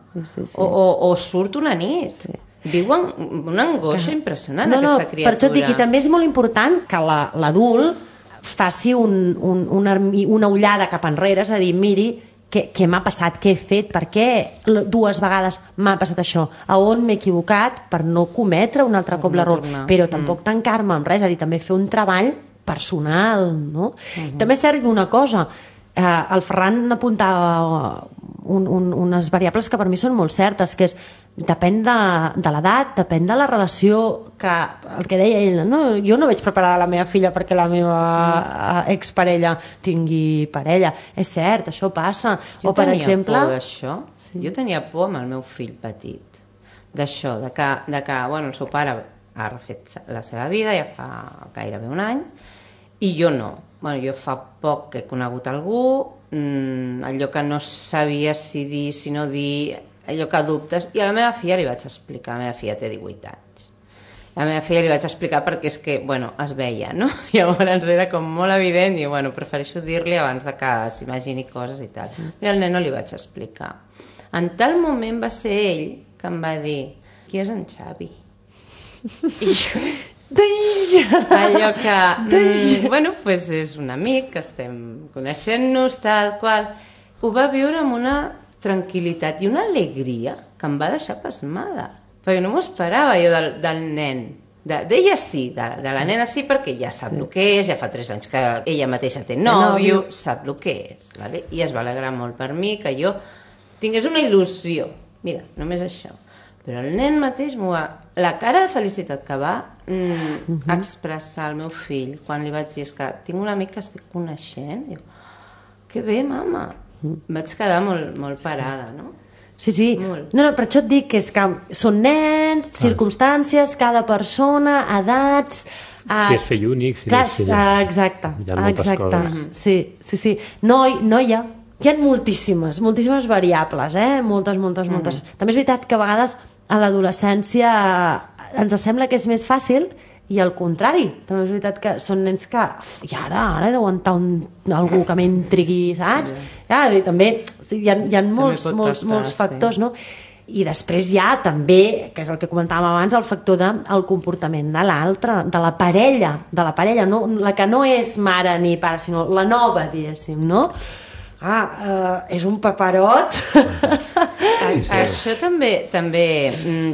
o surt una nit. Viu una angoixa impressionant aquesta criatura. Per això et dic, i també és molt important que l'adult faci una ullada cap enrere, és a dir, miri què m'ha passat, què he fet, per què 2 vegades m'ha passat això, a on m'he equivocat per no cometre un altre cop l'error, però tampoc tancar-me amb res, és a dir, també fer un treball personal, no? També és cert una cosa, el Ferran apuntava unes variables que per mi són molt certes, que és depèn de l'edat, depèn de la relació, que el que deia ell, no? Jo no vaig preparar la meva filla perquè la meva exparella tingui parella, és cert, això passa. Jo tenia por d'això, jo tenia por amb el meu fill petit, d'això, de que bueno, el seu pare ha refet la seva vida ja fa gairebé un any i jo no. Bueno, jo fa poc que he conegut algú, allò que no sabia si dir, si no dir, allò que dubtes, i a la meva filla li vaig explicar, la meva filla té 18 anys. A la meva filla li vaig explicar perquè és que, bueno, es veia, no? Llavors era com molt evident i, bueno, prefereixo dir-li abans de que s'imagini coses i tal. I al nen no li vaig explicar. En tal moment va ser ell que em va dir, qui és en Xavi? I jo... allò que bueno, pues és un amic que estem coneixent-nos tal qual, ho va viure amb una tranquil·litat i una alegria que em va deixar pasmada, perquè no m'ho esperava jo del nen, d'ella sí, de la nena sí, perquè ja sap el que és, ja fa 3 anys que ella mateixa té nòvio, sap el que és, vale? I es va alegrar molt per mi que jo tingués una il·lusió, mira, només això. Però el nen mateix la cara de felicitat que va expressar al meu fill quan li vaig dir que tinc un amic que estic coneixent, diu, que bé, mama. Vaig quedar molt parada, no? Sí. No, per això et dic que és que són nens, circumstàncies, cada persona, edats... Si és fill únic, si no és fill... Exacte. Hi ha moltes coses. Sí. No hi ha. Hi ha moltíssimes variables, moltes. També és veritat que a vegades a l'adolescència ens sembla que és més fàcil i al contrari, també és veritat que són nens que i ara he d'aguantar algú que m'intrigui, saps? I també hi ha molts factors, no? I després hi ha també, que és el que comentàvem abans, el factor del comportament de l'altre, de la parella, no? La que no és mare ni pare, sinó la nova, diguéssim, no? És un paperot. Això també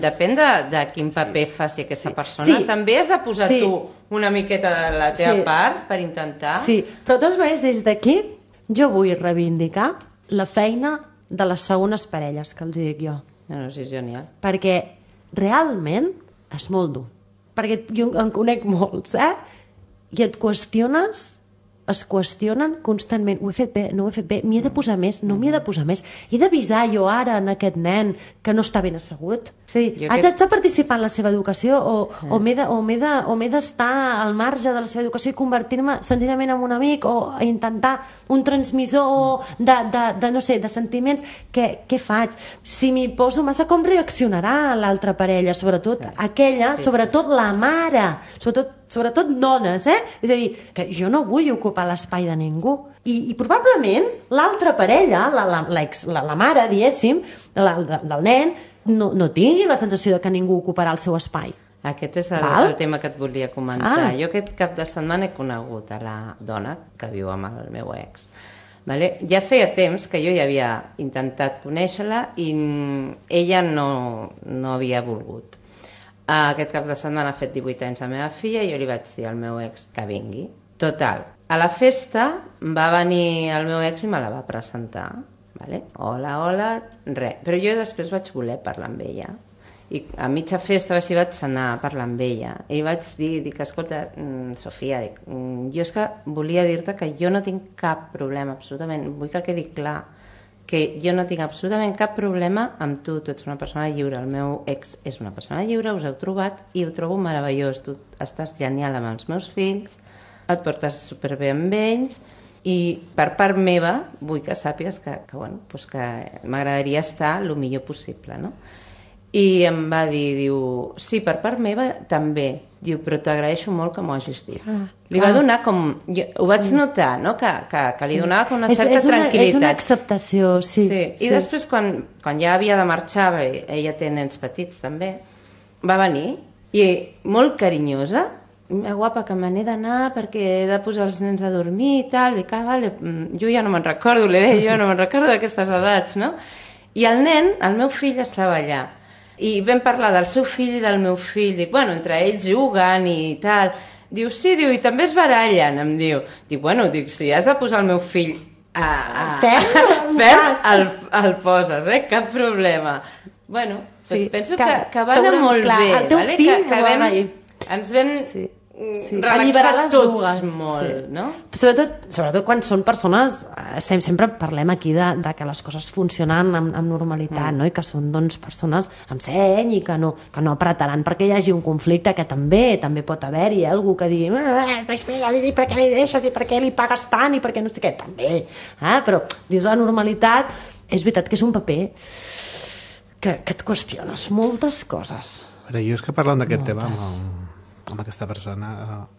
depèn de quin paper faci aquesta persona. També has de posar tu una miqueta de la teva part per intentar... Sí, però de totes maneres, des d'aquí jo vull reivindicar la feina de les segones parelles, que els dic jo. No, sí, és genial. Perquè realment és molt dur. Perquè jo en conec molts, i et es qüestionen constantment, ho he fet bé, no ho he fet bé, m'hi he de posar més, no m'hi he de posar més, he d'avisar jo ara en aquest nen que no està ben assegut, és a dir, haig de participar en la seva educació o m'he d'estar al marge de la seva educació i convertir-me senzillament en un amic o intentar un transmissor de sentiments, què faig? Si m'hi poso massa, com reaccionarà l'altra parella, sobretot aquella, sobretot la mare, sobretot dones, és a dir, que jo no vull ocupar l'espai de ningú. I probablement l'altra parella, la mare, diguéssim, del nen, no tingui la sensació de que ningú ocuparà el seu espai. Aquest és el tema que et volia comentar. Jo aquest cap de setmana he conegut a la dona que viu amb el meu ex. Ja feia temps que jo ja havia intentat conèixer-la i ella no havia volgut. Aquest cap de setmana ha fet 18 anys la meva filla i jo li vaig dir al meu ex que vingui. Total, a la festa va venir el meu ex i me la va presentar. Vale? Hola, res. Però jo després vaig voler parlar amb ella. I a mitja festa així vaig anar a parlar amb ella. I vaig dir, escolta, Sofia, jo és que volia dir-te que jo no tinc cap problema, absolutament. Vull que quedi clar que jo no tinc absolutament cap problema amb tu. Tu ets una persona lliure, el meu ex és una persona lliure, us heu trobat i ho trobo meravellós. Tu estàs genial amb els meus fills, et portes superbé amb ells i per part meva vull que sàpigues que m'agradaria estar el millor possible, no? I em va dir, diu, sí, per part meva també, diu, però t'agraeixo molt que m'ho hagis dit. Li va donar com... ho vaig notar, no?, que li donava com una certa tranquil·litat. És una acceptació, sí. I després, quan ja havia de marxar, ella té nens petits també, va venir i molt carinyosa, guapa, que me n'he d'anar perquè he de posar els nens a dormir i tal, dic, vale, jo ja no me'n recordo, li deia, jo no me'n recordo d'aquestes edats, no? I el nen, el meu fill, estava allà. I vam parlar del seu fill i del meu fill. Dic, bueno, entre ells juguen i tal. Diu, sí, diu, i també es barallen, em diu. Dic, bueno, si has de posar el meu fill ferm, el poses, cap problema. Bueno, penso que va anar molt bé. El teu fill que ens vam relaxar tots molt, no? Sobretot quan són persones, sempre parlem aquí de que les coses funcionen amb normalitat, no? I que són persones amb seny i que no apretaran perquè hi hagi un conflicte, que també pot haver-hi algú que digui i per què li deixes i per què li pagues tant i per què no sé què, també, però dins la normalitat és veritat que és un paper que et qüestiones moltes coses. Jo és que parlant d'aquest tema amb aquesta persona,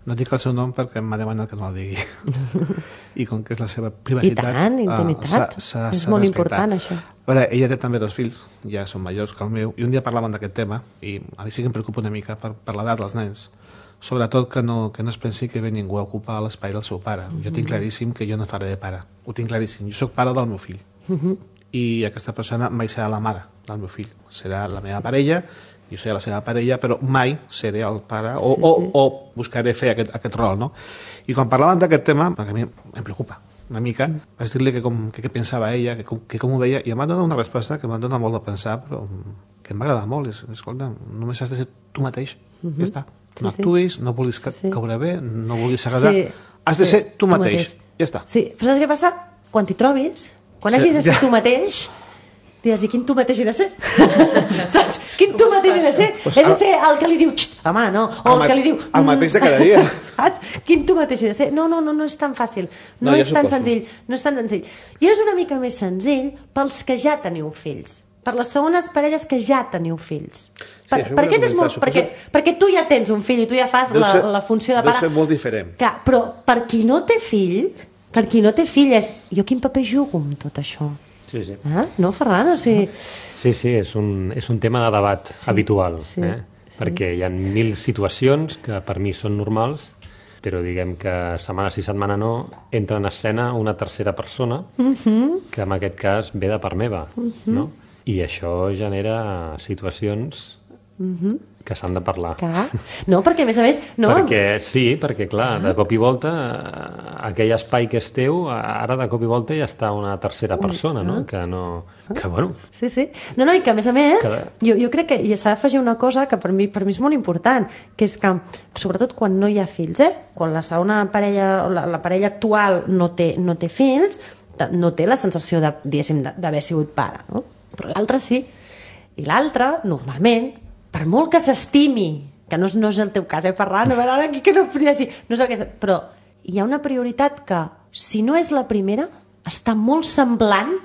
no dic el seu nom perquè m'ha demanat que no el digui i com que és la seva privacitat i tant, intimitat, és molt important això. A veure, ella té també 2 fills, ja són majors que el meu, i un dia parlàvem d'aquest tema i a mi sí que em preocupa una mica per l'edat dels nens, sobretot que no es pensi que ve ningú a ocupar l'espai del seu pare. Jo tinc claríssim que jo no faré de pare, ho tinc claríssim, jo sóc pare del meu fill i aquesta persona mai serà la mare del meu fill, serà la meva parella, jo seré la seva parella, però mai seré el pare o buscaré fer aquest rol, no? I quan parlàvem d'aquest tema, perquè a mi em preocupa una mica, vaig dir-li què pensava ella, que com ho veia, i em va donar una resposta que m'ha donat molt de pensar, però que m'agrada molt. Escolta, només has de ser tu mateix, ja està. No actuïs, no vulguis caure bé, no vulguis agradar, has de ser tu mateix, ja està. Sí, però saps què passa? Quan t'hi trobis, quan hagis de ser tu mateix, diràs, i quin tu mateix he de ser? Saps? Quin tu mateix he de ser? He de ser el que li diu, home, no, o el que li diu... El mateix de cada dia. Saps? Quin tu mateix he de ser? No és tan fàcil, no és tan senzill. I és una mica més senzill pels que ja teniu fills, per les segones parelles que ja teniu fills. Perquè tu ja tens un fill i tu ja fas la funció de pare. Deu ser molt diferent. Clar, però per qui no té fill, és jo quin paper jugo amb tot això? Sí. No, Ferran? Sí, és un tema de debat habitual, perquè hi ha 1000 situacions que per mi són normals, però diguem que setmana sí, setmana no, entra en escena una tercera persona que en aquest cas ve de part meva, no? I això genera situacions que s'han de parlar. No, perquè a més... Perquè, clar, de cop i volta aquell espai que és teu, ara de cop i volta ja està una tercera persona, no? Que bueno... Sí. No, i que a més, jo crec que s'ha d'afegir una cosa que per mi és molt important, que és que, sobretot quan no hi ha fills, quan la segona parella, la parella actual no té fills, no té la sensació d'haver sigut pare, no? Però l'altre sí. I l'altre, normalment, per molt que s'estimi, que no és el teu cas, Ferran, a veure, ara aquí que no podria dir, no és el que és, però hi ha una prioritat que, si no és la primera, està molt semblant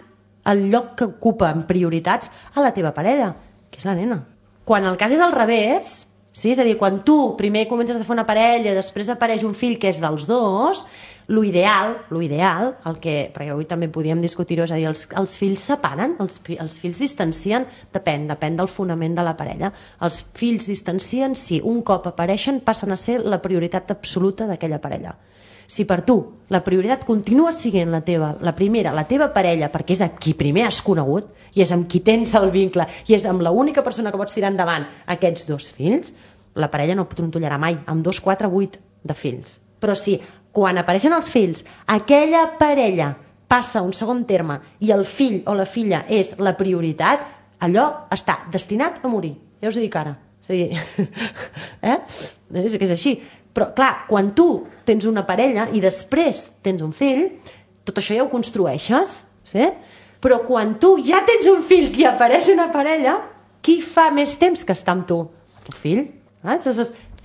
al lloc que ocupa en prioritats a la teva parella, que és la nena. Quan el cas és al revés, sí? És a dir, quan tu primer comences a fer una parella, després apareix un fill que és dels dos, l'ideal, perquè avui també podíem discutir-ho, és a dir, els fills separen, els fills distancien, depèn del fonament de la parella. Els fills distancien si un cop apareixen passen a ser la prioritat absoluta d'aquella parella. Si per tu la prioritat continua sent la primera, la teva parella, perquè és a qui primer has conegut i és amb qui tens el vincle i és amb l'única persona que pots tirar endavant aquests 2 fills, la parella no trontollarà mai amb 2, 4, 8 de fills. Però si quan apareixen els fills aquella parella passa a un segon terme i el fill o la filla és la prioritat, allò està destinat a morir. Ja us ho dic ara. És a dir, és que és així. Però, clar, quan tu tens una parella i després tens un fill, tot això ja ho construeixes, sí? Però quan tu ja tens un fill i apareix una parella, qui fa més temps que està amb tu? El teu fill.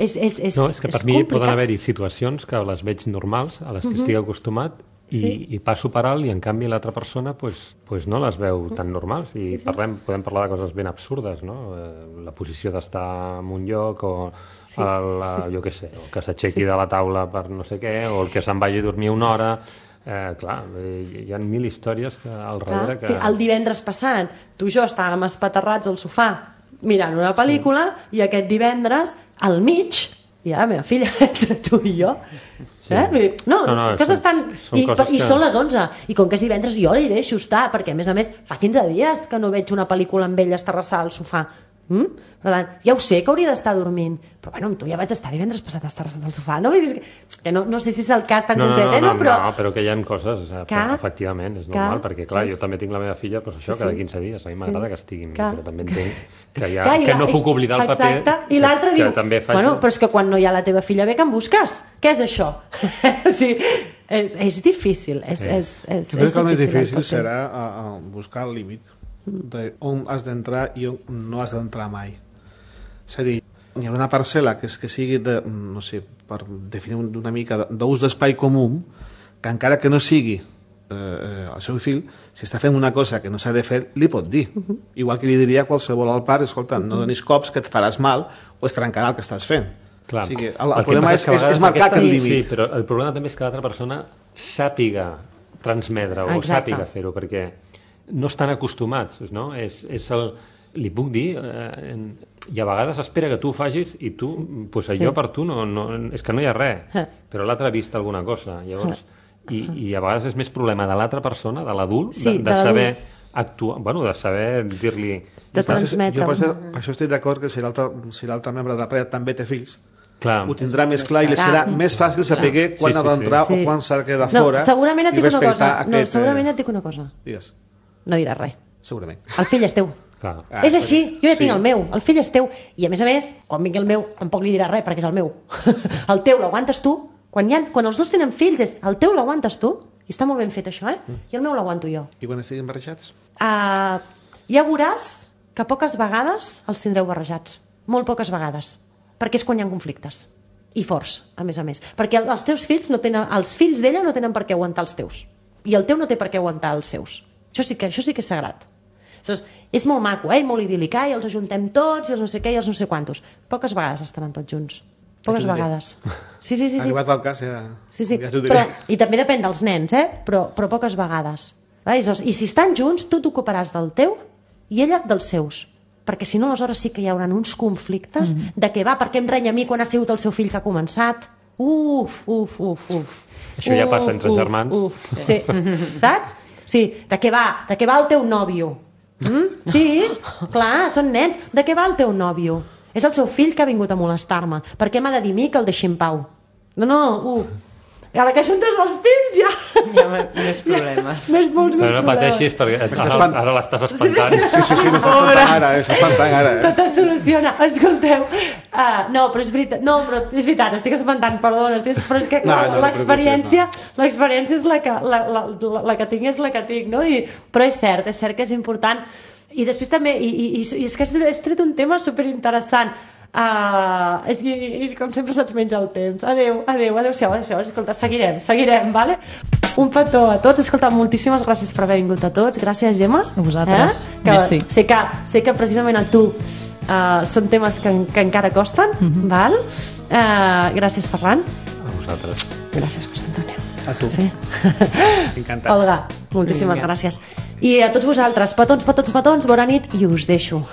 És que per mi poden haver-hi situacions que les veig normals, a les que estic acostumat, i passo per alt i en canvi l'altra persona pues no les veu tan normals i podem parlar de coses ben absurdes, no? La posició d'estar en un lloc o jo què sé, o que s'aixequi de la taula per no sé què, o el que se'n vagi a dormir una hora. Clar, hi ha 1000 històries al darrere que... El divendres passat tu i jo estàvem espaterrats al sofà mirant una pel·lícula i aquest divendres al mig hi ha la meva filla entre tu i jo. Coses tan... I són les 11 i com que és divendres jo li deixo estar perquè a més fa 15 dies que no veig una pel·lícula amb ella estarrassada al sofà. Per tant, ja ho sé que hauria d'estar dormint, però bueno, amb tu ja vaig estar divendres passat estarrassat al sofà, no? Que no sé si és el cas tan concret, no, però que hi ha coses, efectivament, és normal, perquè clar, jo també tinc la meva filla, però això cada 15 dies, a mi m'agrada que estigui amb mi, però també entenc que no puc oblidar el paper i l'altre diu, bueno, però és que quan no hi ha la teva filla ve que em busques, què és això? O sigui, és difícil, és difícil. Jo crec que el més difícil serà buscar el límit on has d'entrar i on no has d'entrar mai. És a dir, hi ha una parcel·la que sigui no sé, per definir una mica d'ús d'espai comú, que encara que no sigui el seu fill, si està fent una cosa que no s'ha de fer, li pot dir. Igual que li diria a qualsevol al pare, escolta, no donis cops que et faràs mal o es trencarà el que estàs fent. Clar. O sigui, el problema és marcar aquest límit. Sí, però el problema també és que l'altra persona sàpiga transmetre o sàpiga fer-ho, perquè no estan acostumats, no? Li puc dir, i a vegades espera que tu ho facis i tu, allò per tu és que no hi ha res, però l'altre ha vist alguna cosa, llavors, i a vegades és més problema de l'altra persona, de l'adult, de saber actuar, bueno, de saber dir-li... De transmetre. Jo per això estic d'acord que si l'altre membre de la parella també té fills, ho tindrà més clar i li serà més fàcil saber quan ha d'entrar o quan s'ha de quedar fora i respectar aquest... Segurament et dic una cosa. Digues. No diràs res. Segurament. El fill és teu. És així, jo ja tinc el meu, el fill és teu. I a més, quan vingui el meu, tampoc li diràs res perquè és el meu. El teu l'aguantes tu. Quan els dos tenen fills, el teu l'aguantes tu. I està molt ben fet això, I el meu l'aguanto jo. I quan estiguin barrejats? Ja veuràs que poques vegades els tindreu barrejats. Molt poques vegades. Perquè és quan hi ha conflictes. I forts, a més. Perquè els teus fills els fills d'ella no tenen per què aguantar els teus. I el teu no té per què aguantar els seus. Això sí que és sagrat. És molt maco, molt idíl·lic, i els ajuntem tots, i els no sé què, i els no sé quantos. Poques vegades estaran tots junts. Poques vegades. Sí. Arribat al cas, ja t'ho diré. I també depèn dels nens, però poques vegades. I si estan junts, tu t'ocuparàs del teu i ella dels seus. Perquè si no, aleshores sí que hi haurà uns conflictes de què per què em renya a mi quan ha sigut el seu fill que ha començat. Uf. Això ja passa entre germans. Sí, saps? Sí, de què va el teu nòvio? Sí, clar, són nens. De què va el teu nòvio? És el seu fill que ha vingut a molestar-me. Per què m'ha de dir a mi que el deixi en pau? No. A la que ajuntes els fills ja... Hi ha més problemes. Però no pateixis perquè ara l'estàs espantant. Sí, m'estàs espantant ara. Tot es soluciona. Escolteu. No, però és veritat, estic espantant, perdona, però és que l'experiència és la que tinc, és la que tinc, no? Però és cert que és important. I després també, i és que has tret un tema superinteressant. Com sempre se'ns menja el temps. Adéu-siau. Escolta, seguirem, vale? Un petó a tots. Escolta, moltíssimes gràcies per haver vingut a tots. Gràcies, Gemma. A vosaltres. Sé que precisament a tu són temes que encara costen, val? Gràcies, Ferran. A vosaltres. Gràcies, José Antonio. A tu. Sí. Encantat. Olga, moltíssimes gràcies. I a tots vosaltres, petons, bona nit, i us deixo.